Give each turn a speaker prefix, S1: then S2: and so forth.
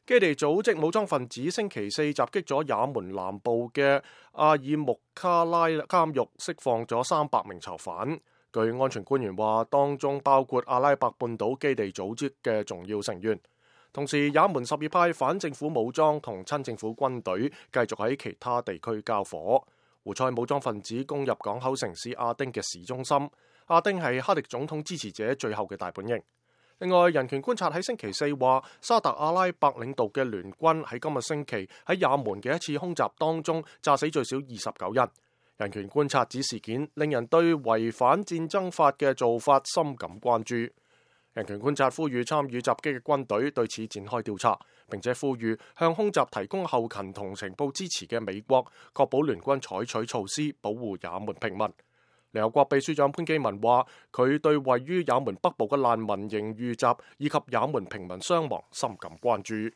S1: 基地組織武裝分子星期四襲擊咗也門南部嘅阿爾木卡拉監獄，釋放咗300名囚犯。據安全官員話，當中包括阿拉伯半島基地組織嘅重要成員。同時，也門什葉派反政府武裝同親政府軍隊繼續喺其他地區交火。胡塞武裝分子攻入港口城市亞丁嘅市中心。亞丁係哈迪總統支持者最後嘅大本營。另外，人權觀察喺星期四話，沙特阿拉伯領導嘅聯軍喺今個星期喺也門嘅一次空襲當中炸死最少29人。人權觀察指事件令人對違反戰爭法嘅做法深感關注。人權觀察呼籲參與襲擊嘅軍隊對此展開調查，並且呼籲向空襲提供後勤同情報支持嘅美國確保聯軍採取措施保護也門平民。聯合國秘書長潘基文話，佢對位於也門北部嘅難民營遇襲以及也門平民傷亡深感關注。